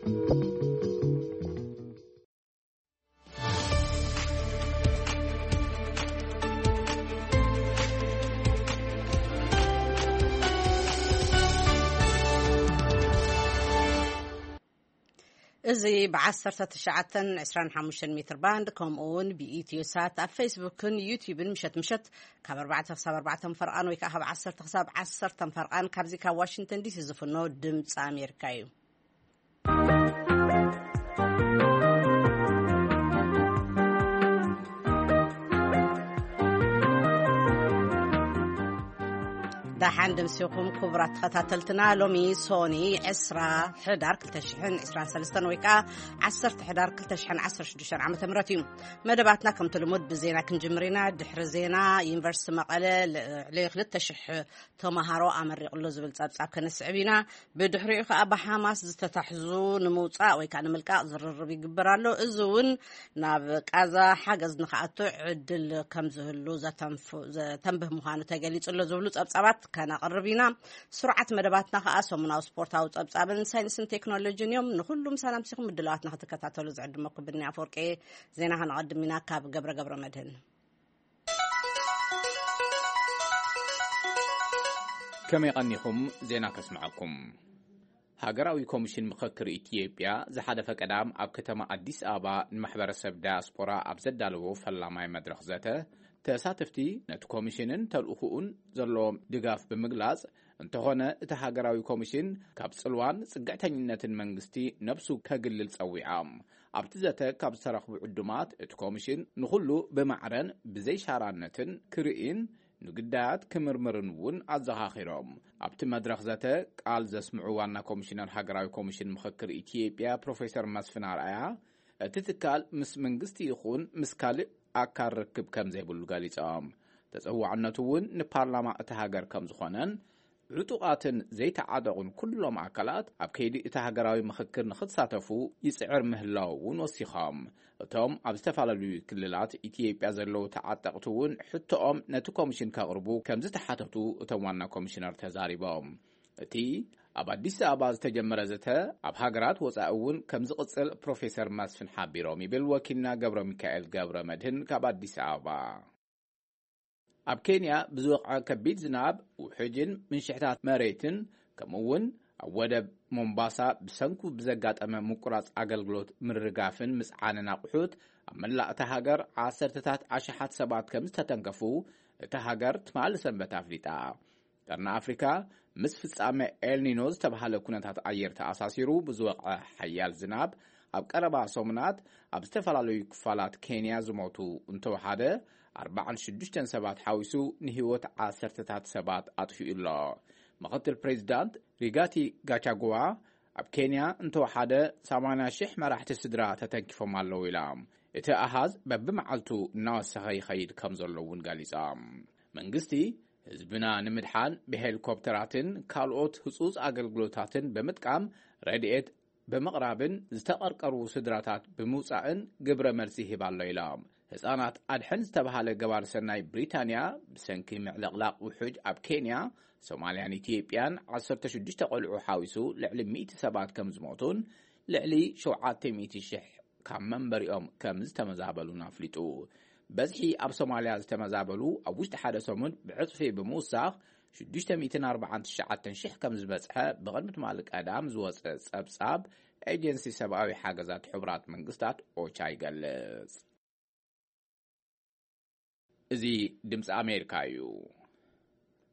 እዚ ብ1925 ሜትር ባንድ፣ ከምኡ እውን ብኢትዮ ሳት ኣብ ፌስቡክን ዩቲዩብን ምሸት ምሸት ካብ ኣርባዕተ ክሳብ ኣርባዕተ ፈርቓን ወይ ከዓ ካብ ዓሰርተ ክሳብ ዓሰርተ ፈርቓን ካብዚ ካብ ዋሽንግተን ዲሲ ዝፍኖ ድምፂ ኣሜሪካ እዩ። ደሓን ደምሲኹም ክቡራት ተኸታተልትና። ሎሚ ሶኒ ዕስራ ሕዳር ክልተ ሽሕን ዕስራን ሰለስተን ወይ ከዓ ዓሰርተ ሕዳር ክልተ ሽሕን ዓሰርተ ሽዱሽተን ዓመተ ምህረት እዩ። መደባትና ከምቲ ልሙድ ብዜና ክንጅምር ኢና። ድሕሪ ዜና ዩኒቨርሲቲ መቐለ ልዕሊ ክልተ ሽሕ ተምሃሮ ኣመሪቑ ኣሎ ዝብል ጸብጻብ ከነስዕብ ኢና። ብድሕሪኡ ከኣ ብሓማስ ዝተታሕዙ ንምውጻእ ወይ ከኣ ንምልቃቕ ዝርርብ ይግበር ኣሎ። እዚ እውን ናብ ቃዛ ሓገዝ ንኽኣቱ ዕድል ከም ዝህሉ ዘተንፍ-፣ ዘተንብህ ምዃኑ ተገሊጹ ኣሎ ዝብሉ ጸብጻባት ከነቕርብ ኢና። ስሩዓት መደባትና ከኣ ሰሙናዊ ስፖርታዊ ጸብጻብን ሳይንስን ቴክኖሎጂን እዮም። ንኹሉም ሰላም ሲኹም ምድላዋትና ክትከታተሉ ዝዕድመኩም ብኒ ኣፈወርቂ። ዜና ከነቐድም ኢና ካብ ገብረ ገብረ መድህን። ከመይ ቀኒኹም? ዜና ከስምዓኩም። ሃገራዊ ኮሚሽን ምኽክር ኢትዮጵያ ዝሓለፈ ቀዳም ኣብ ከተማ ኣዲስ ኣበባ ንማሕበረሰብ ዳያስፖራ ኣብ ዘዳለዎ ፈላማይ መድረኽ ዘተ፣ ተሳተፍቲ ነቲ ኮሚሽንን ተልእኾኡን ዘለዎም ድጋፍ ብምግላጽ፣ እንተኾነ እቲ ሃገራዊ ኮሚሽን ካብ ጽልዋን ጽግዕተኝነትን መንግስቲ ነብሱ ከግልል ጸዊዖም። ኣብቲ ዘተ ካብ ዝተረኽቡ ዕዱማት፣ እቲ ኮሚሽን ንኹሉ ብማዕረን ብዘይሻራነትን ክርእይን ንግዳያት ክምርምርን እውን ኣዘኻኺሮም። ኣብቲ መድረኽ ዘተ ቃል ዘስምዑ ዋና ኮሚሽነር ሃገራዊ ኮሚሽን ምኽክር ኢትዮጵያ ፕሮፌሰር መስፍን ኣርኣያ፣ እቲ ትካል ምስ መንግስቲ ይኹን ምስ ካልእ ኣካል ርክብ ከም ዘይብሉ ገሊጾም። ተጸዋዕነቱ እውን ንፓርላማ እታ ሃገር ከም ዝኾነን፣ ዕጡቓትን ዘይተዓጠቑን ኩሎም ኣካላት ኣብ ከይዲ እቲ ሃገራዊ ምኽክር ንኽሳተፉ ይጽዕር ምህላው እውን ወሲኾም። እቶም ኣብ ዝተፈላለዩ ክልላት ኢትዮጵያ ዘለዉ ተዓጠቕቲ እውን ሕቶኦም ነቲ ኮሚሽን ከቕርቡ ከም ዝተሓተቱ እቶም ዋና ኮሚሽነር ተዛሪቦም። እቲ ኣብ ኣዲስ ኣበባ ዝተጀመረ ዘተ ኣብ ሃገራት ወጻኢ እውን ከም ዝቕጽል ፕሮፌሰር መስፍን ሓቢሮም ይብል ወኪልና ገብረ ሚካኤል ገብረ መድህን ካብ ኣዲስ ኣበባ። ኣብ ኬንያ ብዝወቕዐ ከቢድ ዝናብ፣ ውሕጅን ምንሽሕታት መሬትን፣ ከምኡ እውን ኣብ ወደብ ሞምባሳ ብሰንኩ ብዘጋጠመ ምቁራጽ ኣገልግሎት ምርጋፍን ምጽዓንን ኣቑሑት፣ ኣብ መላእ እታ ሃገር ዓሰርተታት ኣሽሓት ሰባት ከም ዝተተንከፉ እታ ሃገር ትማሊ ሰንበት ኣፍሊጣ። ቀርኒ ኣፍሪካ ምስ ፍጻመ ኤልኒኖ ዝተባህለ ኩነታት ኣየር ተኣሳሲሩ ብዝወቕዐ ሓያል ዝናብ፣ ኣብ ቀረባ ሰሙናት ኣብ ዝተፈላለዩ ክፋላት ኬንያ ዝሞቱ እንተወሓደ ኣርባዓን ሽዱሽተን ሰባት ሓዊሱ ንህይወት ዓሰርተታት ሰባት ኣጥፊኡ ኣሎ። ምኽትል ፕሬዚዳንት ሪጋቲ ጋቻጉዋ፣ ኣብ ኬንያ እንተወሓደ ሰማንያ ሽሕ መራሕቲ ስድራ ተተንኪፎም ኣለዉ ኢላ። እቲ ኣሃዝ በብመዓልቱ እናወሰኸ ይኸይድ ከም ዘሎ እውን ገሊጻ። መንግስቲ ህዝብና ንምድሓን ብሄሊኮፕተራትን ካልኦት ህጹጽ ኣገልግሎታትን ብምጥቃም ረድኤት ብምቕራብን ዝተቐርቀሩ ስድራታት ብምውጻእን ግብረ መልሲ ይህብ ኣሎ ኢላ። ህጻናት ኣድሕን ዝተባህለ ገባር ሰናይ ብሪታንያ ብሰንኪ ምዕልቕላቕ ውሑጅ ኣብ ኬንያ፣ ሶማልያን ኢትዮጵያን ዓሰርተ ሽዱሽተ ቆልዑ ሓዊሱ ልዕሊ ሚእቲ ሰባት ከም ዝሞቱን ልዕሊ ሸውዓተ ሚእቲ ሽሕ ካብ መንበሪኦም ከም ዝተመዛበሉን ኣፍሊጡ። በዝሒ ኣብ ሶማልያ ዝተመዛበሉ ኣብ ውሽጢ ሓደ ሰሙን ብዕጽፊ ብምውሳኽ ሽዱሽተ ሚእትን ኣርባዓን ትሽዓተን ሽሕ ከም ዝበጽሐ ብቕድሚ ትማሊ ቀዳም ዝወጸ ጸብጻብ ኤጀንሲ ሰብኣዊ ሓገዛት ሕቡራት መንግስታት ኦቻ ይገልጽ። እዚ ድምፂ ኣሜሪካ እዩ።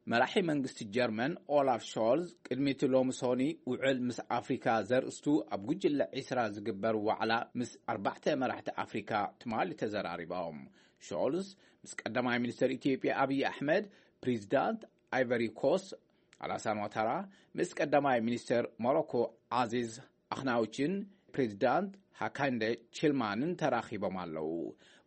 መራሒ መንግስቲ ጀርመን ኦላፍ ሾልዝ ቅድሚ እቲ ሎሚ ሶኒ ውዕል ምስ ኣፍሪካ ዘርእስቱ ኣብ ጉጅለ ዒስራ ዝግበር ዋዕላ ምስ ኣርባዕተ መራሕቲ ኣፍሪካ ትማሊ ተዘራሪቦም። ሾልዝ ምስ ቀዳማይ ሚኒስትር ኢትዮጵያ ኣብይ ኣሕመድ፣ ፕሬዚዳንት ኣይቨሪ ኮስት ኣላሳን ዋታራ፣ ምስ ቀዳማይ ሚኒስትር ሞሮኮ ዓዚዝ ኣኽናውችን ፕሬዚዳንት ሃካንደ ቺልማንን ተራኺቦም ኣለዉ።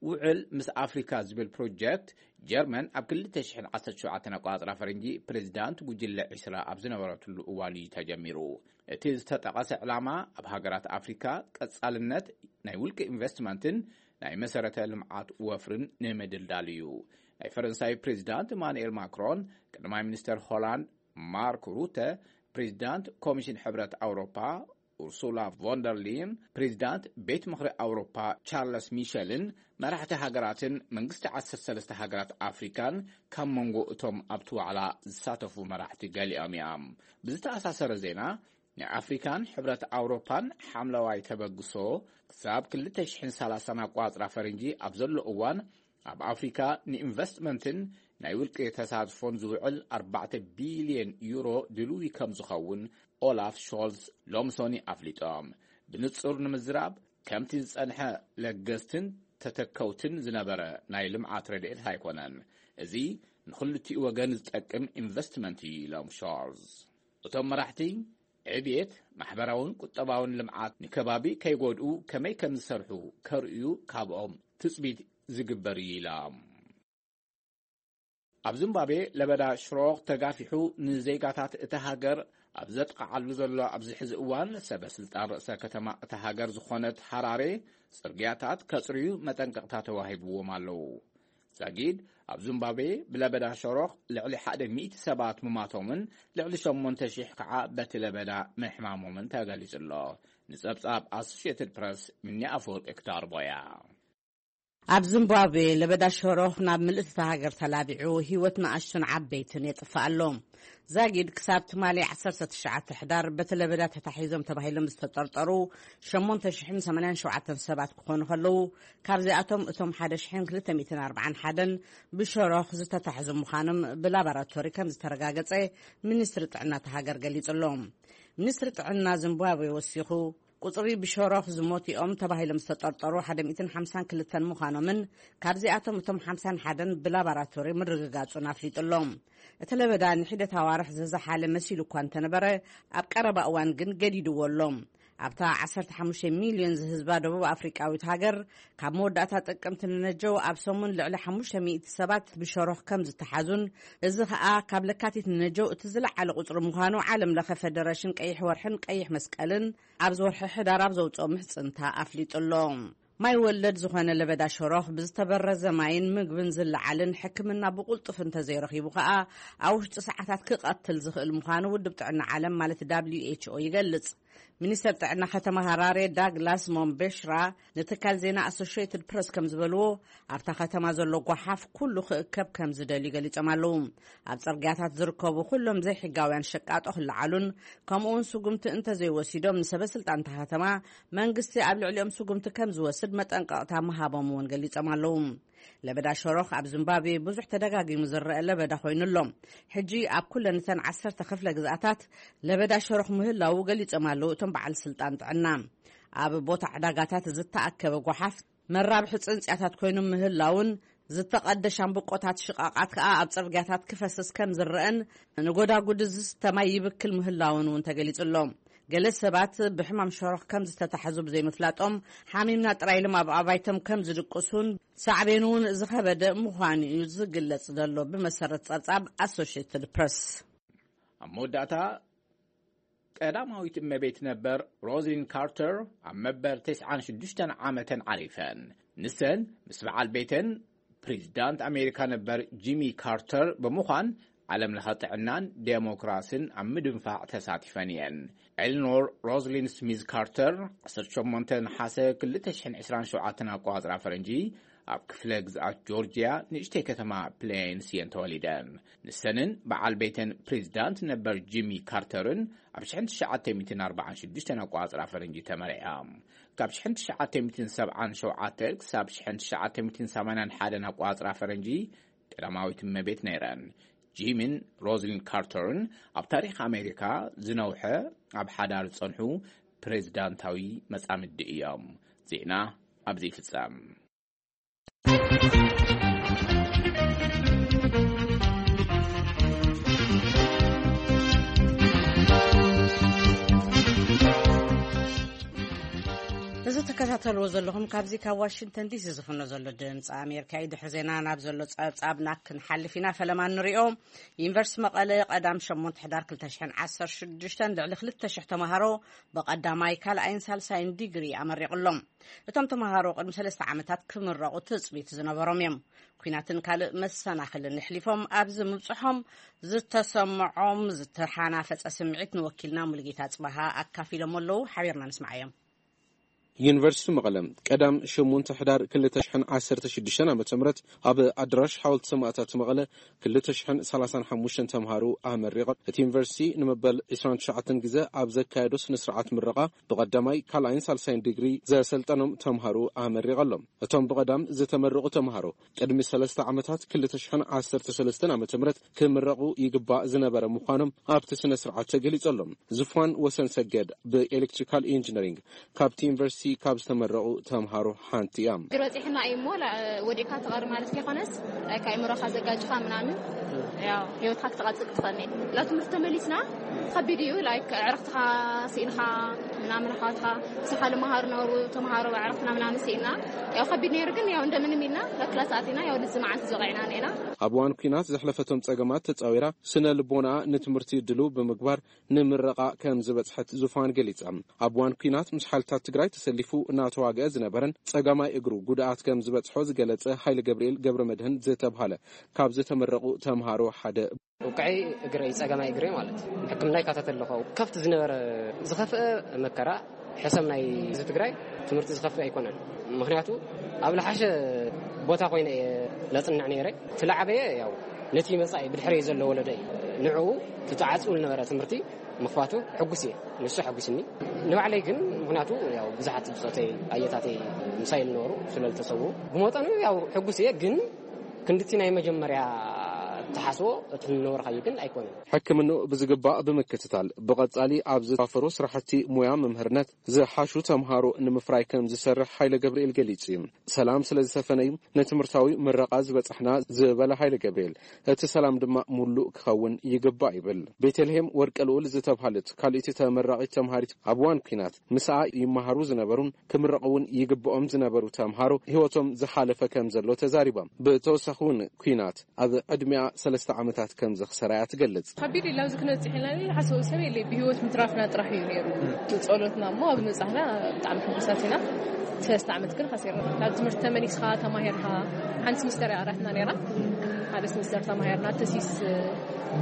ውዕል ምስ ኣፍሪካ ዝብል ፕሮጀክት ጀርመን ኣብ ክልተ ሽሕን ዓሰርተ ሸውዓተን ኣቆጻጽራ ፈረንጂ ፕሬዚዳንት ጉጅለ ዒስራ ኣብ ዝነበረትሉ እዋን እዩ ተጀሚሩ። እቲ ዝተጠቐሰ ዕላማ ኣብ ሃገራት ኣፍሪካ ቀጻልነት ናይ ውልቂ ኢንቨስትመንትን ናይ መሰረተ ልምዓት ወፍርን ንምድልዳል እዩ። ናይ ፈረንሳይ ፕሬዚዳንት ኢማኑኤል ማክሮን፣ ቀዳማይ ሚኒስተር ሆላንድ ማርክ ሩተ፣ ፕሬዚዳንት ኮሚሽን ሕብረት ኣውሮፓ ኡርሱላ ቮንደርሊን፣ ፕሬዚዳንት ቤት ምኽሪ ኣውሮፓ ቻርለስ ሚሸልን መራሕቲ ሃገራትን መንግስቲ ዓሰርተ ሰለስተ ሃገራት ኣፍሪካን ካብ መንጎ እቶም ኣብቲ ዋዕላ ዝሳተፉ መራሕቲ ገሊኦም እዮም። ብዝተኣሳሰረ ዜና፣ ንኣፍሪካን ሕብረት ኣውሮፓን ሓምለዋይ ተበግሶ ክሳብ ክልተ ሽሕን ሰላሳን ኣቋፅራ ፈረንጂ ኣብ ዘሎ እዋን፣ ኣብ ኣፍሪካ ንኢንቨስትመንትን ናይ ውልቂ ተሳትፎን ዝውዕል ኣርባዕተ ቢልዮን ዩሮ ድልዊ ከም ዝኸውን ኦላፍ ሾልዝ ሎምሶኒ ኣፍሊጦም። ብንጹር ንምዝራብ፣ ከምቲ ዝጸንሐ ለገስትን ተተከውትን ዝነበረ ናይ ልምዓት ረድኤት ኣይኮነን። እዚ ንኽልቲኡ ወገን ዝጠቅም ኢንቨስትመንት እዩ ኢሎም ሾልዝ። እቶም መራሕቲ ዕብየት፣ ማሕበራውን ቁጠባውን ልምዓት ንከባቢ ከይጎድኡ ከመይ ከም ዝሰርሑ ከርእዩ ካብኦም ትጽቢት ዝግበር እዩ ኢሎም። ኣብ ዚምባብዌ ለበዳ ሽሮኽ ተጋፊሑ ንዜጋታት እታ ሃገር ኣብ ዘጥቕዓሉ ዘሎ ኣብዚ ሕዚ እዋን፣ ሰበ ስልጣን ርእሰ ከተማ እታ ሃገር ዝኾነት ሃራሬ ጽርግያታት ከጽርዩ መጠንቀቕታ ተዋሂብዎም ኣለዉ። ዛጊድ ኣብ ዚምባብዌ ብለበዳ ሸሮኽ ልዕሊ ሓደ ሚእቲ ሰባት ምማቶምን ልዕሊ ሸሞንተ ሺሕ ከዓ በቲ ለበዳ ምሕማሞምን ተገሊጹ ኣሎ። ንጸብጻብ ኣሶሽየትድ ፕረስ፣ ምኒ ኣፈወርቂ ክዳርቦያ። ኣብ ዚምባብዌ ለበዳ ሸሮኽ ናብ ምልእቲ እታ ሃገር ተላቢዑ፣ ህይወት ንኣሽቱን ዓበይትን የጥፍእ ኣሎ። ዛጊድ ክሳብ ትማሊ ዓሰርተ ትሽዓተ ሕዳር በቲ ለበዳ ተታሒዞም ተባሂሎም ዝተጠርጠሩ ሸሞንተ ሽሕን ሰማንያን ሸውዓተን ሰባት ክኾኑ ከለዉ፣ ካብዚኣቶም እቶም ሓደ ሽሕን ክልተ ሚእትን ኣርባዓን ሓደን ብሸሮኽ ዝተታሕዙ ምዃኖም ብላቦራቶሪ ከም ዝተረጋገጸ ሚኒስትሪ ጥዕና እታ ሃገር ገሊጹ ኣሎ። ሚኒስትሪ ጥዕና ዚምባብዌ ወሲኹ፣ ቁጽሪ ብሸሮኽ ዝሞቲኦም ተባሂሎም ዝተጠርጠሩ ሓደ ሚእትን ሓምሳን ክልተን ምዃኖምን፣ ካብዚኣቶም እቶም ሓምሳን ሓደን ብላባራቶሪ ምርግጋጹን ኣፍሊጡ ኣሎ። እቲ ለበዳ ንሒደት ኣዋርሕ ዝዘሓለ መሲሉ እኳ እንተነበረ፣ ኣብ ቀረባ እዋን ግን ገዲድዎ ኣሎ። ኣብታ ዓሰርተ ሓሙሽተ ሚልዮን ዝህዝባ ደቡብ ኣፍሪቃዊት ሃገር፣ ካብ መወዳእታ ጥቅምቲ ንነጀው ኣብ ሰሙን ልዕሊ ሓሙሽተ ሚእቲ ሰባት ብሸሮኽ ከም ዝተሓዙን፣ እዚ ኸኣ ካብ ለካቲት ንነጀው እቲ ዝለዓለ ቁጽሪ ምዃኑ ዓለም ለኸ ፈደረሽን ቀይሕ ወርሕን ቀይሕ መስቀልን ኣብዚ ወርሒ ሕዳር ኣብ ዘውፅኦ ምሕፅንታ ኣፍሊጡ ኣሎ። ማይ ወለድ ዝኾነ ለበዳ ሸሮኽ ብዝተበረዘ ማይን ምግብን ዝለዓልን ሕክምና ብቁልጡፍ እንተዘይረኺቡ ኸኣ ኣብ ውሽጢ ሰዓታት ክቐትል ዝኽእል ምዃኑ ውድብ ጥዕና ዓለም ማለት ደብሊው ኤች ኦ ይገልጽ። ሚኒስተር ጥዕና ከተማ ሃራሬ ዳግላስ ሞምቤሽራ ንትካል ዜና ኣሶሽየትድ ፕረስ ከም ዝበልዎ፣ ኣብታ ከተማ ዘሎ ጓሓፍ ኩሉ ክእከብ ከም ዝደልዩ ገሊጾም ኣለዉ። ኣብ ጽርግያታት ዝርከቡ ኩሎም ዘይሕጋውያን ሸቃጦ ክለዓሉን ከምኡውን ስጉምቲ እንተዘይወሲዶም ንሰበ ስልጣን እታ ከተማ መንግስቲ ኣብ ልዕሊኦም ስጉምቲ ከም ዝወስድ መጠንቀቕታ ምሃቦም እውን ገሊጾም ኣለዉ። ለበዳ ሸሮኽ ኣብ ዚምባብዌ ብዙሕ ተደጋጊሙ ዝረአ ለበዳ ኮይኑ ኣሎ። ሕጂ ኣብ ኩለን እተን ዓሰርተ ክፍለ ግዝኣታት ለበዳ ሸሮኽ ምህላዉ ገሊጾም ኣለዉ እቶም በዓል ስልጣን ጥዕና። ኣብ ቦታ ዕዳጋታት ዝተኣከበ ጓሓፍ መራብሒ ጽንጽያታት ኮይኑ ምህላውን ዝተቐደ ሻምብቆታት ሽቓቓት ከኣ ኣብ ጽርግያታት ክፈስስ ከም ዝረአን ንጎዳጉዲ ዝስተ ማይ ይብክል ምህላውን እውን ተገሊጹ ኣሎ። ገለ ሰባት ብሕማም ሸሮኽ ከም ዝተታሕዙ ብዘይምፍላጦም ሓሚምና ጥራይ ኢሎም ኣብ ኣባይቶም ከም ዝድቅሱን ሳዕቤኑ እውን ዝኸበደ ምዃኑ እዩ ዝግለጽ ዘሎ፣ ብመሰረት ጸብጻብ ኣሶሽየትድ ፕረስ። ኣብ መወዳእታ፣ ቀዳማዊት እመቤት ነበር ሮዝሊን ካርተር ኣብ መበል ተስዓን ሽዱሽተን ዓመተን ዓሪፈን። ንሰን ምስ በዓል ቤተን ፕሬዚዳንት ኣሜሪካ ነበር ጂሚ ካርተር ብምዃን ዓለም ለኸ ጥዕናን ዴሞክራሲን ኣብ ምድንፋዕ ተሳቲፈን እየን። ኤልኖር ሮዝሊን ስሚዝ ካርተር ዓሰርተ ሸሞንተ ነሓሰ ክልተ ሽሕን ዕስራን ሸውዓተን ኣቆጻጽራ ፈረንጂ ኣብ ክፍለ ግዝኣት ጆርጅያ ንእሽተይ ከተማ ፕሌንስ እየን ተወሊደን። ንሰንን በዓል ቤተን ፕሬዚዳንት ነበር ጂሚ ካርተርን ኣብ ሽሕን ትሽዓተ ሚእትን ኣርባዓን ሽዱሽተን ኣቆጻጽራ ፈረንጂ ተመርዕያ። ካብ ሽሕን ትሽዓተ ሚእትን ሰብዓን ሸውዓተ ክሳብ ሽሕን ትሽዓተ ሚእትን ሰማንያን ሓደን ኣቆጻጽራ ፈረንጂ ቀዳማዊት እመቤት ነይረን። ጂሚን ሮዝሊን ካርተርን ኣብ ታሪኽ ኣሜሪካ ዝነውሐ ኣብ ሓዳር ዝጸንሑ ፕሬዚዳንታዊ መጻምዲ እዮም። ዜና ኣብዚ ይፍጸም። እዚ ትከታተልዎ ዘለኹም ካብዚ ካብ ዋሽንግተን ዲሲ ዝፍኖ ዘሎ ድምፂ ኣሜሪካ እዩ። ድሕሪ ዜና ናብ ዘሎ ጸብጻብና ክንሓልፍ ኢና። ፈለማ ንሪኦ። ዩኒቨርሲቲ መቐለ ቀዳም ሸሞንተ ሕዳር ክልተ ሽሕን ዓሰርተ ሽዱሽተን ልዕሊ ክልተ ሽሕ ተምሃሮ ብቐዳማይ፣ ካልኣይን ሳልሳይን ዲግሪ ኣመሪቑሎም። እቶም ተምሃሮ ቅድሚ ሰለስተ ዓመታት ክምረቑ ትጽቢት ዝነበሮም እዮም። ኲናትን ካልእ መሰናኽልን ኣሕሊፎም ኣብዚ ምብጽሖም ዝተሰምዖም ዝተሓናፈጸ ስምዒት ንወኪልና ሙሉጌታ ጽባሃ ኣካፊሎም ኣለዉ። ሓቢርና ንስማዓዮም። ዩኒቨርሲቲ መቐለ ቀዳም ሸሞንተ ሕዳር ክልተ ሽሕን ዓሰርተ ሽዱሽተን ዓመተ ምህረት ኣብ ኣዳራሽ ሓወልቲ ሰማእታት መቐለ ክልተ ሽሕን ሰላሳን ሓሙሽተን ተምሃሮ ኣመሪቖም። እቲ ዩኒቨርሲቲ ንመበል ዕስራን ትሽዓተን ግዜ ኣብ ዘካየዶ ስነ ስርዓት ምረቓ ብቐዳማይ፣ ካልኣይን ሳልሳይን ዲግሪ ዘሰልጠኖም ተምሃሮ ኣመሪቐሎም። እቶም ብቐዳም ዝተመረቑ ተምሃሮ ቅድሚ ሰለስተ ዓመታት ክልተ ሽሕን ዓሰርተ ሰለስተን ዓመተ ምህረት ክምረቑ ይግባእ ዝነበረ ምዃኖም ኣብቲ ስነ ስርዓት ተገሊጹ ኣሎ። ዝፋን ወሰን ሰገድ ብኤሌክትሪካል ኢንጂነሪንግ ካብቲ ዩኒቨርሲቲ ካብ ዝተመረቑ ተምሃሮ ሓንቲ እያ። ችግር በፂሕና እዩ እሞ ላ- ወዲእካ ትቐር ማለት ከይኮነስ፣ ላይክ፣ ኣእምሮኻ ዘጋጭኻ ምናምን፣ ያው፣ ህይወትካ ክትቐጽል ክትኽእል እየ። ናብ ትምህርቲ ተመሊስና ከቢድ እዩ። ላይክ፣ ዕረፍትኻ ስኢንካ ምናምን፣ ኣሕዋትካ፣ ምሳኻ ዝመሃሩ ነበሩ ተምሃሮ፣ ዕረፍትና ምናምን ስኢና። ያው ከቢድ ነይሩ፣ ግን ያው እንደምንም ኢልና ናብ ክላስ ኣቲና፣ ያው ንዚ መዓልቲ ዝበቂዕና ነይና። ኣብ እዋን ኲናት ዘሕለፈቶም ጸገማት ተጻዊራ፣ ስነ ልቦና ንትምህርቲ ድሉው ብምግባር ንምረቓ ከም ዝበጽሐት ዙፋን ገሊጻ። ኣብ እዋን ኲናት ምስ ሓይልታት ትግራይ ተሰሊፉ እናተዋግአ ዝነበረን ጸጋማይ እግሩ ጉድኣት ከም ዝበጽሖ ዝገለጸ ሃይለ ገብርኤል ገብረ መድህን ዝተብሃለ ካብ ዝተመረቑ ተምሃሮ ሓደ። ውቅዐይ እግረይ፣ ጸጋማይ እግረይ ማለት ሕክምና ይካተት ኣለኹ። ካብቲ ዝነበረ ዝኸፍአ መከራ ሕሰም ናይ ህዝቢ ትግራይ ትምህርቲ ዝኸፍእ ኣይኮነን። ምኽንያቱ ኣብ ለሓሸ ቦታ ኮይነ እየ ለጽንዕ ነይረ። ትለዓበየ ያው ነቲ መጻኢ ብድሕረይ ዘሎ ወለዶ እዩ። ንዕኡ ትተዓጽኡ ዝነበረ ትምህርቲ ምኽፋቱ ሕጉስ እየ። ንሱ ሕጉስኒ። ንባዕለይ ግን ምኽንያቱ ያው ብዙሓት ብጾተይ ኣየታተይ ምሳይ ዝነበሩ ስለ ዝተሰዉ ብመጠኑ ያው ሕጉስ እየ። ግን ክንድቲ ናይ መጀመርያ ተሓስቦ እቲ ዝነበርካዮ ግን ኣይኮነን። ሕክምንኡ ብዝግባእ ብምክትታል ብቐጻሊ ኣብ ዝተዋፈሩ ስራሕቲ ሙያ መምህርነት ዝሓሹ ተምሃሮ ንምፍራይ ከም ዝሰርሕ ሃይለ ገብርኤል ገሊጹ እዩ። ሰላም ስለ ዝሰፈነ እዩ ንትምህርታዊ ምረቓ ዝበጻሕና ዝበለ ሃይለ ገብርኤል፣ እቲ ሰላም ድማ ሙሉእ ክኸውን ይግባእ ይብል። ቤተልሔም ወርቀ ልኡል ዝተብሃለት ካልእቲ ተመራቒት ተምሃሪት ኣብ እዋን ኲናት ምስኣ ይመሃሩ ዝነበሩን ክምረቑ እውን ይግብኦም ዝነበሩ ተምሃሮ ህይወቶም ዝሓለፈ ከም ዘሎ ተዛሪባ። ብተወሳኺ እውን ኲናት ኣብ ዕድሚኣ ሰለስተ ዓመታት ከም ዘኽሰራ እያ ትገልጽ። ከቢድ እዩ። ኣብዚ ክነብጽሕ ኢልና ንሓስቦ ሰብ የለ፣ ብህይወት ምትራፍና ጥራሕ እዩ ነይሩ ጸሎትና። እሞ ኣብ ምብጻሕና ብጣዕሚ ሕጉሳት ኢና። ሰለስተ ዓመት ግን ሓሲርና። ናብ ትምህርቲ ተመሊስካ ተማሂርካ፣ ሓንቲ ስሚስተር እያ ቀሪትና ነይራ። ሓደ ስሚስተር ተማሂርና፣ ተሲስ፣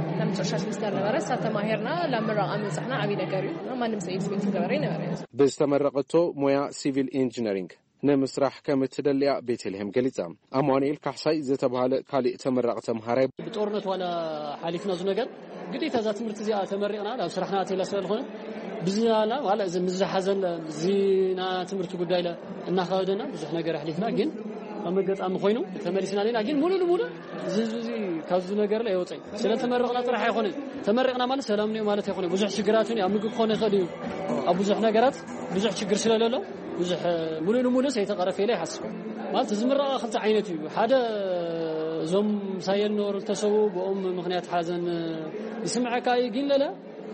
እታ መጨረሻ ስሚስተር ነበረ፣ እሳ ተማሂርና ላብ ምረቓ ምብጻሕና ዓብዪ ነገር እዩ። ማንም ሰብ ኤክስፔክት ዝገበረ ይነበረ። ብዝተመረቐቶ ሞያ ሲቪል ኢንጂነሪንግ ንምስራሕ ከም እትደልያ ቤተልሔም ገሊጻ። ኣማኑኤል ካሕሳይ ዝተባህለ ካሊእ ተመራቒ ተምሃራይ። ብጦርነት ዋላ ሓሊፍና እዚ ነገር፣ ግዴታ እዛ ትምህርቲ እዚኣ ተመሪቕና ናብ ስራሕና ኣትየላ ስለ ዝኾነ፣ ብዝናና ዋላ እዚ ምስ ዝሓዘን እዚ ና ትምህርቲ ጉዳይ ለ እናኸበደና ብዙሕ ነገር ኣሕሊፍና፣ ግን ኣብ መገጣሚ ኮይኑ ተመሊስና ሌና። ግን ሙሉ ንሙሉ እዚ ህዝቢ እዚ ካብዚ ነገር ለ የወፀይ። ስለ ተመረቕና ጥራሕ ኣይኮነን። ተመሪቕና ማለት ሰላም ንዮ ማለት ኣይኮነ። ብዙሕ ሽግራት እውን ኣብ ምግቢ ክኾነ ይኽእል እዩ። ኣብ ብዙሕ ነገራት ብዙሕ ችግር ስለለሎ፣ ብዙሕ ሙሉ ንሙሉ ሰይተቐረፈ ኢለ ይሓስብ። ማለት እዚ ምረቓ ክልተ ዓይነት እዩ። ሓደ እዞም ሳየል ነበሩ ተሰቡ ብኦም ምኽንያት ሓዘን ይስምዐካ እዩ። ግን ለለ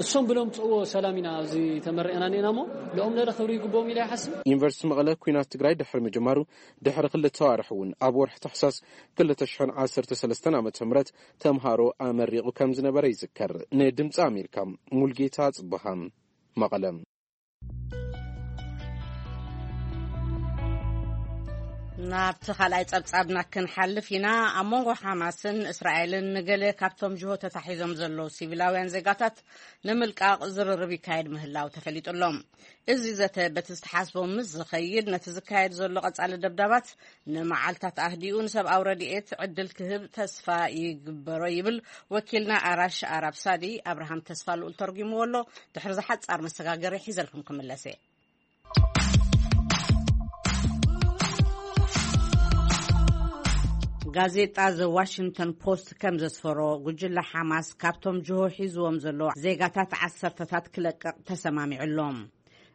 እሶም ብሎም ጽእዎ ሰላም ኢና ኣብዚ ተመሪቕና ኔና እሞ፣ ለኦም ለለ ክብሪ ይግብኦም ኢለ ይሓስብ። ዩኒቨርሲቲ መቐለ ኲናት ትግራይ ድሕሪ ምጅማሩ ድሕሪ ክልተ ኣዋርሕ እውን ኣብ ወርሒ ታሕሳስ ክልተ ሽሕን ዓሰርተ ሰለስተን ዓመተ ምህረት ተምሃሮ ኣመሪቑ ከም ዝነበረ ይዝከር። ንድምፂ ኣሜሪካ ሙልጌታ ጽብሃ፣ መቐለ። ናብቲ ካልኣይ ጸብጻብና ክንሓልፍ ኢና። ኣብ መንጎ ሓማስን እስራኤልን ንገለ ካብቶም ጅሆ ተታሒዞም ዘለዉ ሲቪላውያን ዜጋታት ንምልቃቕ ዝርርብ ይካየድ ምህላው ተፈሊጡ ኣሎ። እዚ ዘተ በቲ ዝተሓስቦ ምስ ዝኸይድ፣ ነቲ ዝካየድ ዘሎ ቀጻሊ ደብዳባት ንመዓልታት ኣህዲኡ ንሰብኣዊ ረድኤት ዕድል ክህብ ተስፋ ይግበሮ ይብል ወኪልና ኣራሽ ኣራብ ሳዲ። ኣብርሃም ተስፋ ልኡል ተርጉምዎ ኣሎ። ድሕሪ ዝሓጻር መሰጋገሪ ሒዘልኩም ክምለስ እየ። ጋዜጣ ዘ ዋሽንግተን ፖስት ከም ዘስፈሮ፣ ጉጅለ ሓማስ ካብቶም ጅሆ ሒዝዎም ዘሎ ዜጋታት ዓሰርተታት ክለቅቕ ተሰማሚዑ ኣሎ።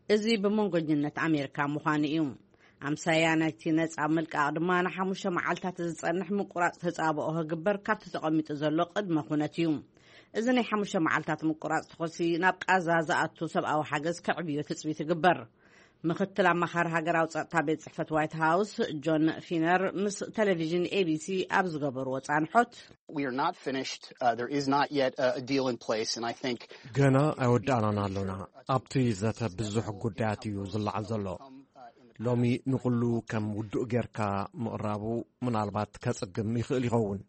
እዚ ብመንጎኝነት ኣሜሪካ ምዃኑ እዩ። ኣምሳያ ናይቲ ነጻ ምልቃቕ ድማ ንሓሙሽተ መዓልታት ዝጸንሕ ምቁራጽ ተጻብኦ ክግበር ካብቲ ተቐሚጡ ዘሎ ቅድመ ኩነት እዩ። እዚ ናይ ሓሙሽተ መዓልታት ምቁራጽ ተኾሲ ናብ ቃዛ ዝኣቱ ሰብኣዊ ሓገዝ ከዕብዮ ትጽቢት ይግበር። ምኽትል ኣማኻሪ ሃገራዊ ጸጥታ ቤት ጽሕፈት ዋይት ሃውስ ጆን ፊነር ምስ ቴሌቪዥን ኤ ቢ ሲ ኣብ ዝገበርዎ ጻንሖት፣ We are not finished. Uh, there is not yet a, a deal in place, and I think ገና ኣይወዳእናን ኣሎና። ኣብቲ ዘተ ብዙሕ ጉዳያት እዩ ዝለዓል ዘሎ። ሎሚ ንኹሉ ከም ውዱእ ጌርካ ምቕራቡ ምናልባት ከጽግም ይኽእል ይኸውን።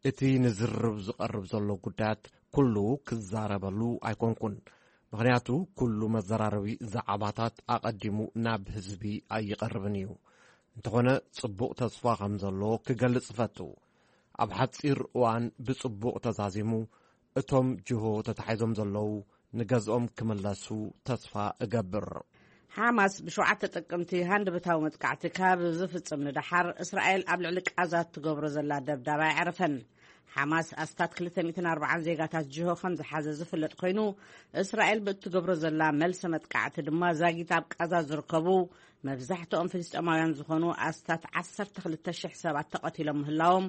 እቲ ንዝርርብ ዝቐርብ ዘሎ ጉዳያት ኩሉ ክዛረበሉ ኣይኮንኩን፣ ምኽንያቱ ኩሉ መዘራረቢ ዛዕባታት ኣቐዲሙ ናብ ህዝቢ ኣይቐርብን እዩ። እንተኾነ ጽቡቕ ተስፋ ከም ዘሎ ክገልጽ እፈቱ። ኣብ ሓጺር እዋን ብጽቡቕ ተዛዚሙ እቶም ጅሆ ተታሒዞም ዘለዉ ንገዝኦም ክምለሱ ተስፋ እገብር። ሓማስ ብሸውዓተ ጥቅምቲ ሃንደበታዊ መጥቃዕቲ ካብ ዝፍጽም ንደሓር፣ እስራኤል ኣብ ልዕሊ ቃዛ እትገብሮ ዘላ ደብዳብ ኣይዕረፈን። ሓማስ ኣስታት ክልተ ሚእትን ኣርባዓን ዜጋታት ጅሆ ከም ዝሓዘ ዝፍለጥ ኮይኑ፣ እስራኤል ብእትገብሮ ዘላ መልሲ መጥቃዕቲ ድማ ዛጊት ኣብ ቃዛ ዝርከቡ መብዛሕትኦም ፍልስጤማውያን ዝኾኑ ኣስታት ዓሰርተ ክልተ ሽሕ ሰባት ተቐቲሎም ምህላዎም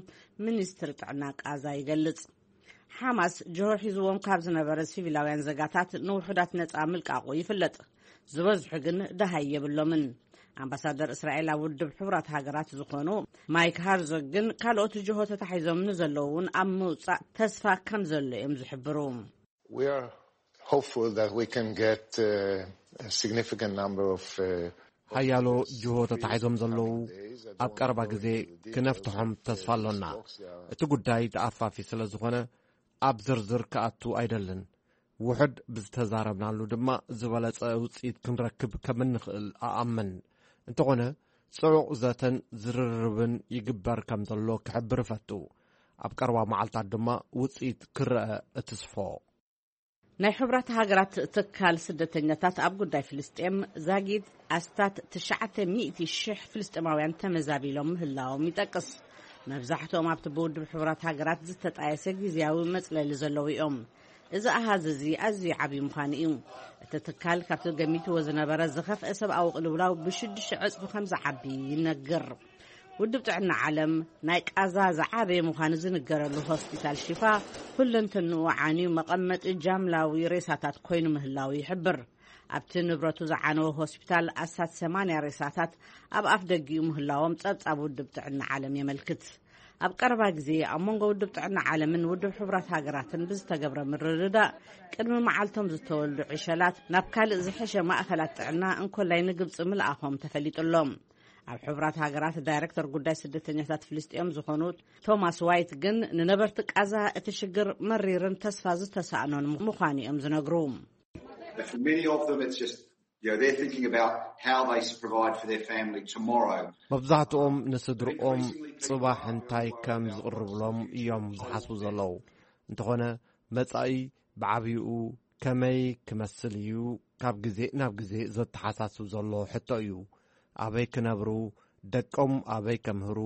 ሚኒስትሪ ጥዕና ቃዛ ይገልጽ። ሓማስ ጅሆ ሒዝዎም ካብ ዝነበረ ሲቪላውያን ዘጋታት ንውሑዳት ነጻ ምልቃቑ ይፍለጥ። ዝበዝሑ ግን ደሃይ የብሎምን። ኣምባሳደር እስራኤል ኣብ ውድብ ሕቡራት ሃገራት ዝኾኑ ማይክ ሃርዞግ ግን ካልኦት ጅሆ ተታሒዞም ንዘለዉ እውን ኣብ ምውጻእ ተስፋ ከም ዘሎ እዮም ዝሕብሩ። We are hopeful that we can get uh, a significant number of uh, ሓያሎ ጅሆ ተታሒዞም ዘለዉ ኣብ ቀረባ ግዜ ክነፍትሖም ተስፋ ኣሎና። እቲ ጉዳይ ተኣፋፊ ስለ ዝኾነ ኣብ ዝርዝር ክኣቱ ኣይደልን። ውሑድ ብዝተዛረብናሉ ድማ ዝበለጸ ውጽኢት ክንረክብ ከም እንኽእል እኣምን። እንተኾነ ጽዑቕ ዘተን ዝርርብን ይግበር ከም ዘሎ ክሕብር እፈቱ። ኣብ ቀረባ መዓልታት ድማ ውጽኢት ክረአ እትስፎ። ናይ ሕቡራት ሃገራት ትካል ስደተኛታት ኣብ ጉዳይ ፍልስጤም ዛጊድ ኣስታት ትሽዓተ ሚእቲ ሽሕ ፍልስጤማውያን ተመዛቢሎም ምህላዎም ይጠቅስ። መብዛሕትኦም ኣብቲ ብውድብ ሕቡራት ሃገራት ዝተጣየሰ ግዝያዊ መጽለሊ ዘለዉ እዮም። እዚ ኣሃዝ እዚ ኣዝዩ ዓብዪ ምዃኑ እዩ። እቲ ትካል ካብቲ ገሚትዎ ዝነበረ ዝኸፍአ ሰብኣዊ ቅልውላው ብሽዱሽተ ዕጽፊ ከም ዝዓቢ ይነግር። ውድብ ጥዕና ዓለም ናይ ቃዛ ዝዓበየ ምዃኑ ዝንገረሉ ሆስፒታል ሽፋ ኩለንተንኡ ዓንዩ መቐመጢ ጃምላዊ ሬሳታት ኮይኑ ምህላው ይሕብር። ኣብቲ ንብረቱ ዝዓነወ ሆስፒታል ኣስታት ሰማንያ ሬሳታት ኣብ ኣፍ ደጊኡ ምህላዎም ጸብጻብ ውድብ ጥዕና ዓለም የመልክት። ኣብ ቀረባ ግዜ ኣብ መንጎ ውድብ ጥዕና ዓለምን ውድብ ሕቡራት ሃገራትን ብዝተገብረ ምርድዳእ ቅድሚ መዓልቶም ዝተወልዱ ዕሸላት ናብ ካልእ ዝሐሸ ማእኸላት ጥዕና እንኮላይ ንግብፂ ምልኣኾም ተፈሊጡ ኣሎ። ኣብ ሕቡራት ሃገራት ዳይሬክተር ጉዳይ ስደተኛታት ፍልስጤም ዝኾኑ ቶማስ ዋይት ግን ንነበርቲ ቃዛ እቲ ሽግር መሪርን ተስፋ ዝተሳእኖን ምዃኑ እዮም ዝነግሩ። But for many of them, it's just, you know, they're thinking about how they s- provide for their family tomorrow. መብዛሕትኦም ንስድርኦም ጽባሕ እንታይ ከም ዝቕርብሎም እዮም ዝሓስቡ ዘለዉ። እንተኾነ መጻኢ ብዓብይኡ ከመይ ክመስል እዩ ካብ ግዜ ናብ ግዜ ዘተሓሳስብ ዘሎ ሕቶ እዩ። ኣበይ ክነብሩ፣ ደቆም ኣበይ ከምህሩ፣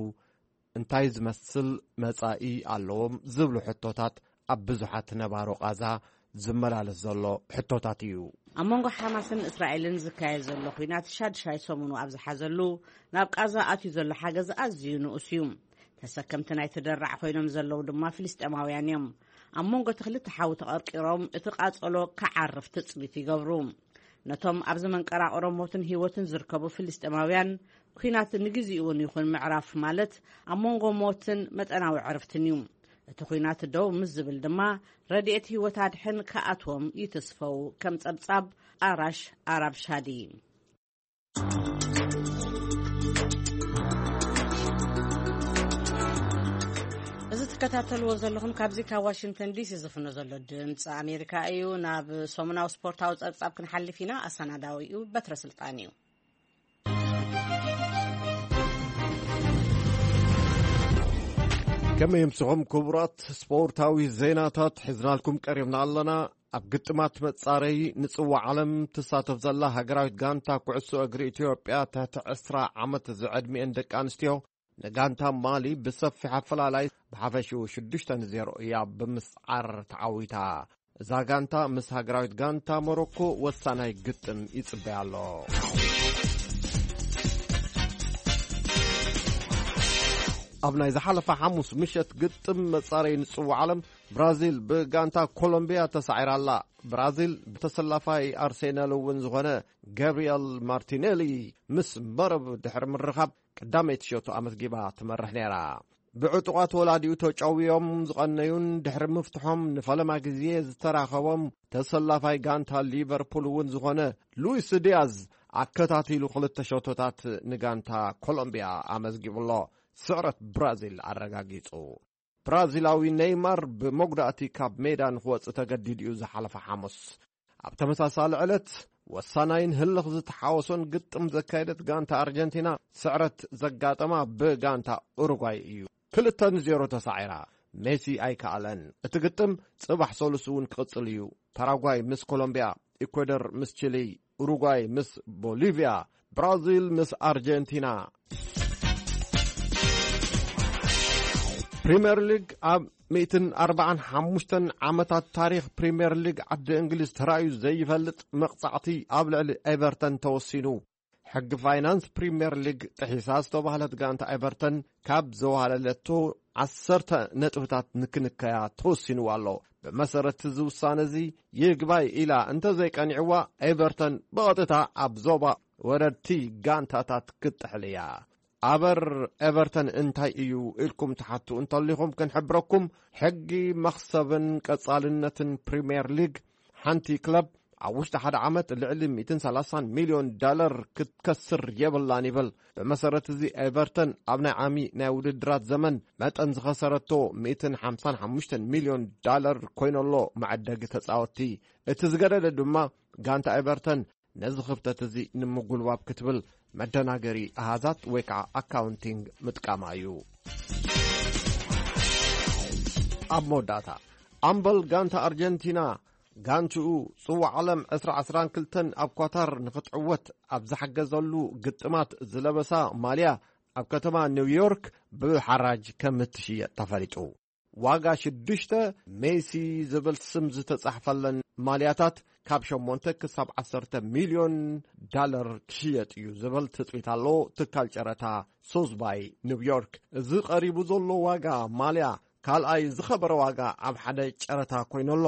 እንታይ ዝመስል መጻኢ ኣለዎም ዝብሉ ሕቶታት ኣብ ብዙሓት ነባሮ ቃዛ ዝመላለስ ዘሎ ሕቶታት እዩ። ኣብ መንጎ ሓማስን እስራኤልን ዝካየድ ዘሎ ኲናት ሻድሻይ ሰሙኑ ኣብ ዝሓዘሉ፣ ናብ ቃዛ ኣትዩ ዘሎ ሓገዝ ኣዝዩ ንኡስ እዩ። ተሰከምቲ ናይቲ ደራዕ ኮይኖም ዘለዉ ድማ ፍልስጤማውያን እዮም። ኣብ መንጎ እቲ ክልተ ሓዊ ተቐርቂሮም እቲ ቃጸሎ ክዓርፍ ትጽቢት ይገብሩ። ነቶም ኣብዚ መንቀራቕሮ ሞትን ህይወትን ዝርከቡ ፍልስጤማውያን፣ ኲናት ንግዜኡ እውን ይኹን ምዕራፍ ማለት ኣብ መንጎ ሞትን መጠናዊ ዕርፍትን እዩ። እቲ ኲናት ደው ምስ ዝብል ድማ ረድኤት ህይወት ኣድሕን ክኣትዎም ይትስፈው፣ ከም ጸብጻብ ኣራሽ ኣራብ ሻዲ። እዚ ትከታተልዎ ዘለኹም ካብዚ ካብ ዋሽንግተን ዲሲ ዝፍኖ ዘሎ ድምፂ ኣሜሪካ እዩ። ናብ ሰሙናዊ ስፖርታዊ ጸብጻብ ክንሓልፍ ኢና። ኣሰናዳዊኡ በትረ ስልጣን እዩ። ከመይ ምስኹም ክቡራት፣ ስፖርታዊ ዜናታት ሒዝናልኩም ቀሪብና ኣለና። ኣብ ግጥማት መጻረይ ንጽዋዕ ዓለም ትሳተፍ ዘላ ሃገራዊት ጋንታ ኩዕሶ እግሪ ኢትዮጵያ ትሕቲ ዕስራ ዓመት ዝዕድሚኤን ደቂ ኣንስትዮ ንጋንታ ማሊ ብሰፊሕ ኣፈላላይ ብሓፈሽኡ ሽዱሽተ ንዜሮ እያ ብምስዓር ተዓዊታ። እዛ ጋንታ ምስ ሃገራዊት ጋንታ ሞሮኮ ወሳናይ ግጥም ይጽበያ ኣሎ። ኣብ ናይ ዝሓለፈ ሓሙስ ምሸት ግጥም መጻረዪ ንጽዋዕ ዓለም፣ ብራዚል ብጋንታ ኮሎምቢያ ተሳዒራ ኣላ። ብራዚል ብተሰላፋይ ኣርሴናል እውን ዝኾነ ጋብሪኤል ማርቲኔሊ ምስ መረብ ድሕሪ ምርኻብ፣ ቀዳመይቲ ሸቶ ኣመዝጊባ ትመርሕ ነይራ። ብዕጡቓት ወላዲኡ ተጨውዮም ዝቐነዩን ድሕሪ ምፍትሖም ንፈለማ ግዜ ዝተራኸቦም ተሰላፋይ ጋንታ ሊቨርፑል እውን ዝኾነ ሉዊስ ዲያዝ፣ ኣከታቲሉ ክልተ ሸቶታት ንጋንታ ኮሎምቢያ ኣመዝጊቡ ኣሎ። ስዕረት ብራዚል ኣረጋጊጹ። ብራዚላዊ ኔይማር ብመጉዳእቲ ካብ ሜዳ ንክወጽእ ተገዲዱ እዩ ዝሓለፈ ሓሙስ። ኣብ ተመሳሳሊ ዕለት፣ ወሳናይን ህልኽ ዝተሓወሶን ግጥም ዘካየደት ጋንታ ኣርጀንቲና፣ ስዕረት ዘጋጠማ ብጋንታ ኡሩጓይ እዩ። ክልተ ንዜሮ ተሳዒራ። ሜሲ ኣይከኣለን። እቲ ግጥም ጽባሕ ሰሉስ እውን ክቕጽል እዩ። ፓራጓይ ምስ ኮሎምቢያ፣ ኢኳዶር ምስ ቺሊ፣ ኡሩጓይ ምስ ቦሊቪያ፣ ብራዚል ምስ ኣርጀንቲና። ፕሪምየር ሊግ። ኣብ ሚእትን ኣርባዓን ሓሙሽተን ዓመታት ታሪኽ ፕሪምየር ሊግ ዓዲ እንግሊዝ ተራእዩ ዘይፈልጥ መቕጻዕቲ ኣብ ልዕሊ ኤቨርተን ተወሲኑ። ሕጊ ፋይናንስ ፕሪምየር ሊግ ጥሒሳ ዝተባህለት ጋንታ ኤቨርተን ካብ ዘዋለለቶ ዓሰርተ ነጥብታት ንክንከያ ተወሲንዋ ኣሎ። ብመሰረት እዚ ውሳነ እዚ ይግባይ ኢላ እንተዘይቀኒዕዋ፣ ኤቨርተን ብቐጥታ ኣብ ዞባ ወረድቲ ጋንታታት ክትጥሕል እያ። ኣበር ኤቨርተን እንታይ እዩ ኢልኩም ትሓቱ እንተሊኹም፣ ክንሕብረኩም፣ ሕጊ መኽሰብን ቀጻልነትን ፕሪምየር ሊግ፣ ሓንቲ ክለብ ኣብ ውሽጢ ሓደ ዓመት ልዕሊ ሚእትን ሰላሳን ሚልዮን ዳለር ክትከስር የብላን ይብል። ብመሰረት እዚ፣ ኤቨርተን ኣብ ናይ ዓሚ ናይ ውድድራት ዘመን መጠን ዝኸሰረቶ ሚእትን ሓምሳን ሓሙሽተን ሚልዮን ዳለር ኮይኑ ኣሎ መዐደጊ ተጻወትቲ። እቲ ዝገደደ ድማ፣ ጋንታ ኤቨርተን ነዚ ክፍተት እዚ ንምጉልባብ ክትብል መደናገሪ ኣሃዛት ወይ ከዓ ኣካውንቲንግ ምጥቃማ እዩ። ኣብ መወዳእታ፣ ኣምበል ጋንታ ኣርጀንቲና፣ ጋንትኡ ጽዋዕ ዓለም ዕስራ ዕስራን ክልተን ኣብ ኳታር ንኽትዕወት ኣብ ዝሓገዘሉ ግጥማት ዝለበሳ ማልያ ኣብ ከተማ ኒውዮርክ ብሓራጅ ከም እትሽየጥ ተፈሊጡ። ዋጋ ሽዱሽተ ሜሲ ዝብል ስም ዝተጻሕፈለን ማልያታት ካብ ሸሞንተ ክሳብ ዓሰርተ ሚልዮን ዳለር ክሽየጥ እዩ ዝብል ትጽቢት ኣሎ ትካል ጨረታ ሶዝባይ ኒውዮርክ። እዚ ቀሪቡ ዘሎ ዋጋ ማልያ ካልኣይ ዝኸበረ ዋጋ ኣብ ሓደ ጨረታ ኮይኑ ኣሎ።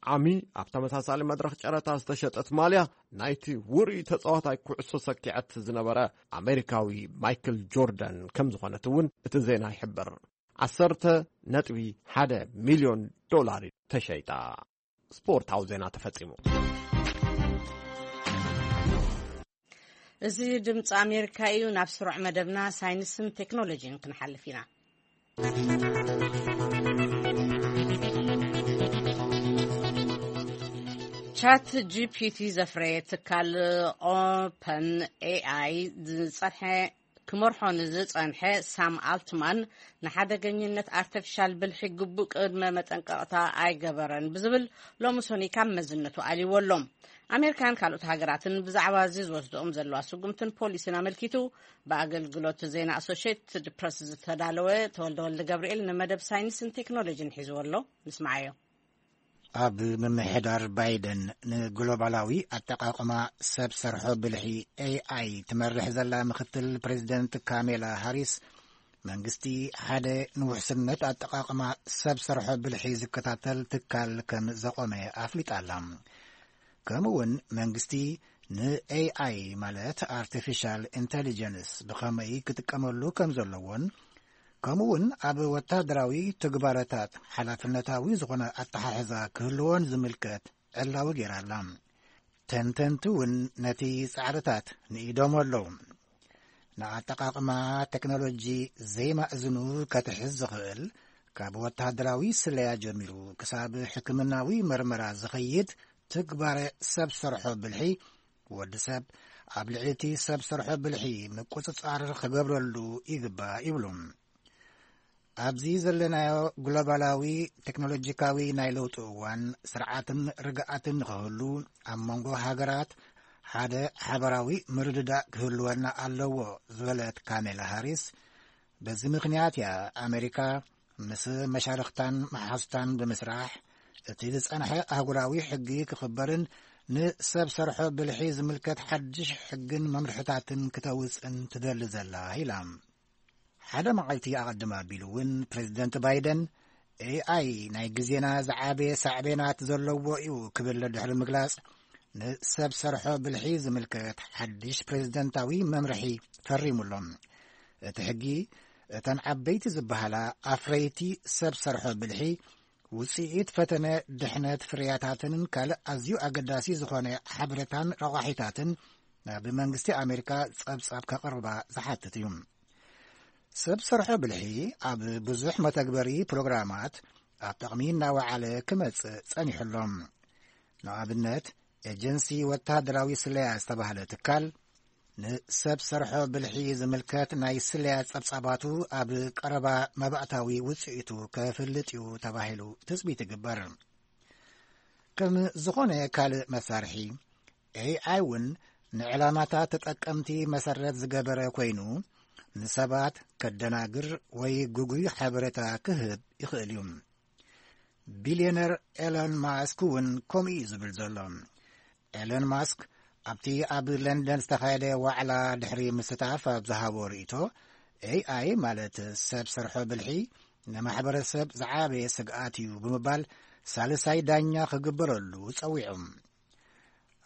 ዓሚ ኣብ ተመሳሳሊ መድረኽ ጨረታ ዝተሸጠት ማልያ ናይቲ ውሩይ ተጻዋታይ ኩዕሶ ሰኪዐት ዝነበረ ኣሜሪካዊ ማይክል ጆርዳን ከም ዝኾነት እውን እቲ ዜና ይሕብር። ዓሰርተ ነጥቢ ሓደ ሚልዮን ዶላር ተሸይጣ። ስፖርታዊ ዜና ተፈጺሙ። እዚ ድምፂ ኣሜሪካ እዩ። ናብ ስሩዕ መደብና ሳይንስን ቴክኖሎጂን ክንሓልፍ ኢና። ቻት ጂ ፒ ቲ ዘፍረየ ትካል ኦፐን ኤ ኣይ ዝጸንሐ ክመርሖ ንዝጸንሐ ሳም ኣልትማን፣ ንሓደገኝነት ኣርቲፊሻል ብልሒ ግቡእ ቅድመ መጠንቀቕታ ኣይገበረን ብዝብል ሎሚ ሰኑይ ካብ መዝነቱ ኣልይዎ ኣሎ። ኣሜሪካን ካልኦት ሃገራትን ብዛዕባ እዚ ዝወስድኦም ዘለዋ ስጉምትን ፖሊሲን ኣመልኪቱ ብኣገልግሎት ዜና ኣሶሽየትድ ፕረስ ዝተዳለወ ተወልደ ወልደ ገብርኤል ንመደብ ሳይንስን ቴክኖሎጂን ሒዝዎ ኣሎ። ንስምዓዮ። ኣብ ምምሕዳር ባይደን ንግሎባላዊ ኣጠቓቕማ ሰብ ሰርሖ ብልሒ ኤ ኣይ ትመርሕ ዘላ ምክትል ፕሬዚደንት ካሜላ ሃሪስ፣ መንግስቲ ሓደ ንውሕስነት ኣጠቓቕማ ሰብ ሰርሖ ብልሒ ዝከታተል ትካል ከም ዘቖመ ኣፍሊጣ ኣላ። ከምኡ እውን መንግስቲ ን ኤ ኣይ ማለት ኣርቲፊሻል ኢንተሊጀንስ ብኸመይ ክጥቀመሉ ከም ዘለዎን፣ ከምኡ እውን ኣብ ወታደራዊ ትግባረታት ሓላፍነታዊ ዝኾነ ኣተሓሕዛ ክህልዎን ዝምልከት ዕላዊ ገይራ ኣላ። ተንተንቲ እውን ነቲ ጻዕርታት ንኢዶም ኣለዉ። ንኣጠቓቕማ ቴክኖሎጂ ዘይማእዝኑ ከትሕዝ ዝኽእል፣ ካብ ወታደራዊ ስለያ ጀሚሩ ክሳብ ሕክምናዊ መርመራ ዝኸይድ ትግባረ ሰብ ሰርሖ ብልሒ፣ ወዲ ሰብ ኣብ ልዕሊ እቲ ሰብ ሰርሖ ብልሒ ምቁጽጻር ክገብረሉ ይግባእ ይብሉ። ኣብዚ ዘለናዮ ግሎባላዊ ቴክኖሎጂካዊ ናይ ለውጢ እዋን፣ ስርዓትን ርግኣትን ንኽህሉ፣ ኣብ መንጎ ሃገራት ሓደ ሓበራዊ ምርድዳእ ክህልወና ኣለዎ ዝበለት ካሜላ ሃሪስ፣ በዚ ምኽንያት እያ ኣሜሪካ ምስ መሻርኽታን መሓዙታን ብምስራሕ፣ እቲ ዝጸንሐ ኣህጉራዊ ሕጊ ክኽበርን ንሰብ ሰርሖ ብልሒ ዝምልከት ሓድሽ ሕግን መምርሕታትን ክተውጽን ትደሊ ዘላ ኢላ። ሓደ መዓልቲ ኣቐድም ኣቢሉ እውን ፕሬዚደንት ባይደን ኤኣይ ናይ ግዜና ዝዓበየ ሳዕቤናት ዘለዎ እዩ ክብል ድሕሪ ምግላጽ፣ ንሰብ ሰርሖ ብልሒ ዝምልከት ሓድሽ ፕሬዚደንታዊ መምርሒ ፈሪሙሎም። እቲ ሕጊ እተን ዓበይቲ ዝበሃላ ኣፍረይቲ ሰብ ሰርሖ ብልሒ ውጽኢት ፈተነ ድሕነት ፍርያታትን ካልእ ኣዝዩ ኣገዳሲ ዝኾነ ሓበሬታን ረቋሒታትን ናብ መንግስቲ ኣሜሪካ ጸብጻብ ከቕርባ ዝሓትት እዩ። ሰብ ሰርሖ ብልሒ ኣብ ብዙሕ መተግበሪ ፕሮግራማት ኣብ ጥቕሚ እናወዓለ ክመጽእ ጸኒሑ ኣሎ። ንኣብነት፣ ኤጀንሲ ወተሃደራዊ ስለያ ዝተባህለ ትካል፣ ንሰብ ሰርሖ ብልሒ ዝምልከት ናይ ስለያ ጸብጻባቱ ኣብ ቀረባ መባእታዊ ውጽኢቱ ከፍልጥ እዩ ተባሂሉ ትጽቢት ይግበር። ከም ዝኾነ ካልእ መሳርሒ፣ ኤኣይ እውን ንዕላማታት ተጠቀምቲ መሰረት ዝገበረ ኮይኑ፣ ንሰባት ከደናግር ወይ ግጉይ ሓበሬታ ክህብ ይኽእል እዩ። ቢልዮነር ኤሎን ማስክ እውን ከምኡ እዩ ዝብል ዘሎ። ኤሎን ማስክ ኣብቲ ኣብ ለንደን ዝተኻየደ ዋዕላ ድሕሪ ምስታፍ ኣብ ዝሃቦ ርእይቶ፣ ኤኣይ ማለት ሰብ ሰርሖ ብልሒ ንማሕበረሰብ ዝዓበየ ስግኣት እዩ ብምባል ሳልሳይ ዳኛ ክግበረሉ ጸዊዑ።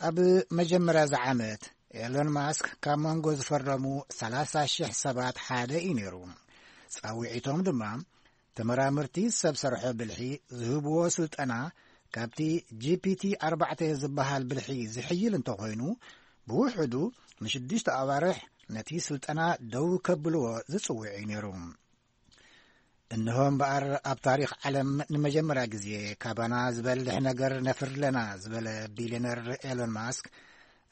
ኣብ መጀመርያ እዚ ዓመት ኤሎን ማስክ ካብ መንጎ ዝፈረሙ ሰላሳ ሽሕ ሰባት ሓደ እዩ ነይሩ። ጻውዒቶም ድማ ተመራመርቲ ሰብ ሰርሖ ብልሒ ዝህብዎ ስልጠና ካብቲ ጂ ፒ ቲ ኣርባዕተ ዝበሃል ብልሒ ዝሕይል እንተኾይኑ፣ ብውሕዱ ንሽዱሽተ ኣዋርሕ ነቲ ስልጠና ደው ከብልዎ ዝጽውዕ እዩ ነይሩ። እንሆ እምበኣር፣ ኣብ ታሪኽ ዓለም ንመጀመርያ ግዜ ካባና ዝበልሕ ነገር ነፍሪ ኣለና ዝበለ ቢልዮነር ኤሎን ማስክ፣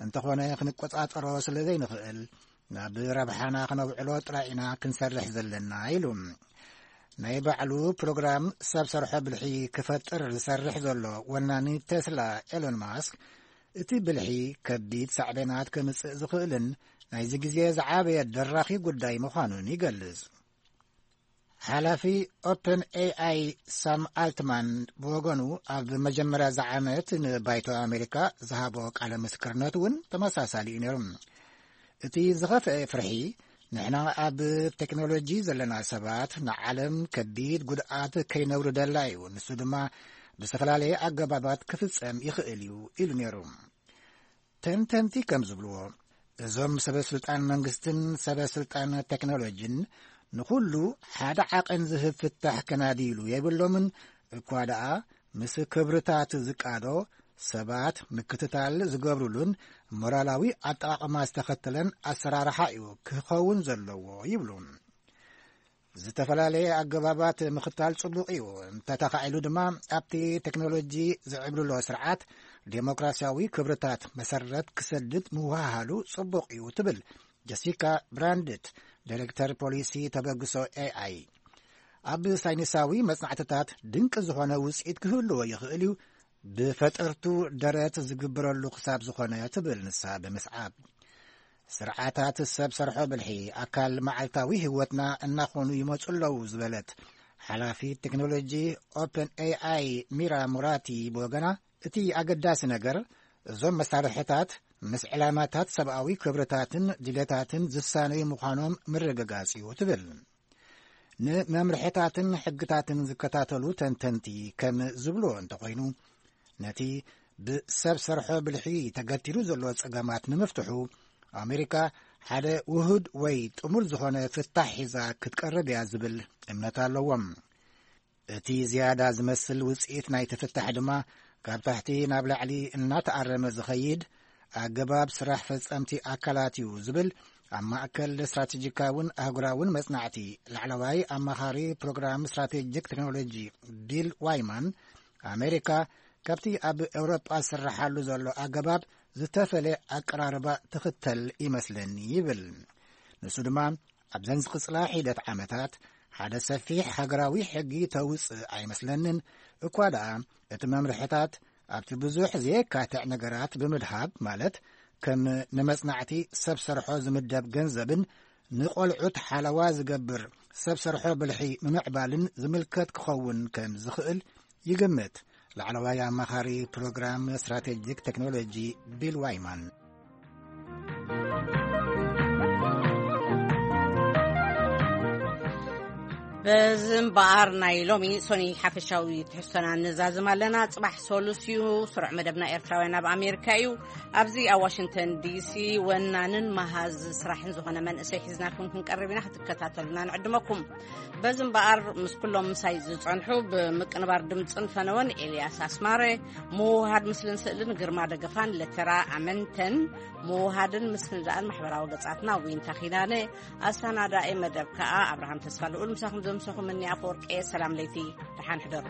እንተኾነ ክንቆጻጸሮ ስለ ዘይንኽእል ናብ ረብሓና ክነውዕሎ ጥራይ ኢና ክንሰርሕ ዘለና ኢሉ። ናይ ባዕሉ ፕሮግራም ሰብ ሰርሖ ብልሒ ክፈጥር ዝሰርሕ ዘሎ ወናኒ ቴስላ ኤሎን ማስክ፣ እቲ ብልሒ ከቢድ ሳዕቤናት ከምጽእ ዝኽእልን ናይዚ ግዜ ዝዓበየ ደራኺ ጉዳይ ምዃኑን ይገልጽ። ሓላፊ ኦፕን ኤኣይ ሳም ኣልትማን ብወገኑ፣ ኣብ መጀመርያ እዚ ዓመት ንባይቶ ኣሜሪካ ዝሃቦ ቃለ ምስክርነት እውን ተመሳሳሊ እዩ ነይሩ። እቲ ዝኸፍአ ፍርሒ፣ ንሕና ኣብ ቴክኖሎጂ ዘለና ሰባት ንዓለም ከቢድ ጉድኣት ከይነውርደላ እዩ፣ ንሱ ድማ ብዝተፈላለየ ኣገባባት ክፍጸም ይኽእል እዩ ኢሉ ነይሩ። ተንተንቲ ከም ዝብልዎ፣ እዞም ሰበ ስልጣን መንግስትን ሰበ ስልጣን ቴክኖሎጂን ንኹሉ ሓደ ዓቐን ዝህብ ፍታሕ ከናድይሉ የብሎምን። እኳ ደኣ ምስ ክብርታት ዝቃዶ፣ ሰባት ምክትታል ዝገብሩሉን ሞራላዊ ኣጠቓቕማ ዝተኸተለን ኣሰራርሓ እዩ ክኸውን ዘለዎ ይብሉ። ዝተፈላለየ ኣገባባት ምኽታል ጽቡቕ እዩ። እንተተኻኢሉ ድማ ኣብቲ ቴክኖሎጂ ዝዕብልሎ ስርዓት ዴሞክራሲያዊ ክብርታት መሰረት ክሰድድ ምውሃሃሉ ጽቡቕ እዩ ትብል ጀሲካ ብራንድት፣ ዳይሬክተር ፖሊሲ ተበግሶ ኤኣይ። ኣብ ሳይንሳዊ መጽናዕትታት ድንቂ ዝኾነ ውጽኢት ክህልዎ ይኽእል እዩ፣ ብፈጠርቱ ደረት ዝግበረሉ ክሳብ ዝኾነ ትብል ንሳ ብምስዓብ። ስርዓታት ሰብ ሰርሖ ብልሒ ኣካል መዓልታዊ ህይወትና እናኾኑ ይመጹ ኣለዉ ዝበለት ሓላፊ ቴክኖሎጂ ኦፕን ኤኣይ ሚራ ሙራቲ ብወገና፣ እቲ ኣገዳሲ ነገር እዞም መሳርሕታት ምስ ዕላማታት ሰብኣዊ ክብርታትን ድሌታትን ዝሳነዩ ምዃኖም ምርግጋጽ እዩ ትብል። ንመምርሕታትን ሕግታትን ዝከታተሉ ተንተንቲ ከም ዝብልዎ እንተኾይኑ፣ ነቲ ብሰብ ሰርሖ ብልሒ ተገቲሩ ዘሎ ጸገማት ንምፍትሑ ኣሜሪካ ሓደ ውሁድ ወይ ጥሙር ዝኾነ ፍታሕ ሒዛ ክትቀርብ እያ ዝብል እምነት ኣለዎም። እቲ ዝያዳ ዝመስል ውጽኢት ናይቲ ፍታሕ ድማ ካብ ታሕቲ ናብ ላዕሊ እናተኣረመ ዝኸይድ ኣገባብ ስራሕ ፈጸምቲ ኣካላት እዩ ዝብል ኣብ ማእከል ስትራቴጂካውን ኣህጉራውን መጽናዕቲ ላዕለዋይ ኣማኻሪ ፕሮግራም ስትራቴጂክ ቴክኖሎጂ ቢል ዋይማን፣ ኣሜሪካ ካብቲ ኣብ ኤውሮጳ ዝስርሓሉ ዘሎ ኣገባብ ዝተፈለ ኣቀራርባ ትኽተል ይመስለኒ ይብል። ንሱ ድማ ኣብዘን ዝቕጽላ ሒደት ዓመታት ሓደ ሰፊሕ ሃገራዊ ሕጊ ተውጽእ ኣይመስለንን። እኳ ደኣ እቲ መምርሕታት ኣብቲ ብዙሕ ዘየካትዕ ነገራት ብምድሃብ፣ ማለት ከም ንመጽናዕቲ ሰብ ሰርሖ ዝምደብ ገንዘብን ንቖልዑት ሓለዋ ዝገብር ሰብ ሰርሖ ብልሒ ምምዕባልን ዝምልከት ክኸውን ከም ዝኽእል ይግምት ላዕለዋይ ኣማኻሪ ፕሮግራም ስትራቴጂክ ቴክኖሎጂ ቢል ዋይማን። በዚ እምበኣር ናይ ሎሚ ሶኒ ሓፈሻዊ ትሕዝቶና ንዛዝም ኣለና። ጽባሕ ሶሉስ እዩ። ስሩዕ መደብና ኤርትራውያን ኣብ ኣሜሪካ እዩ። ኣብዚ ኣብ ዋሽንግተን ዲሲ ወናንን መሃዝ ስራሕን ዝኾነ መንእሰይ ሒዝናልኩም ክንቀርብ ኢና። ክትከታተሉና ንዕድመኩም። በዚ እምበኣር ምስ ኩሎም ምሳይ ዝጸንሑ፣ ብምቅንባር ድምጽን ፈነወን ኤልያስ ኣስማረ፣ ምውሃድ ምስልን ስእልን ግርማ ደገፋን ለተራ ኣመንተን፣ ምውሃድን ምስንዳእን ማሕበራዊ ገጻትና ዊንታ ኺዳነ፣ ኣሰናዳኢ መደብ ከኣ ኣብርሃም ተስፋ ልኡል። ምሳኹም ዘምሰኹም እኒ ኣፈወርቂ። ሰላም ለይቲ፣ ደሓን ሕደሩ።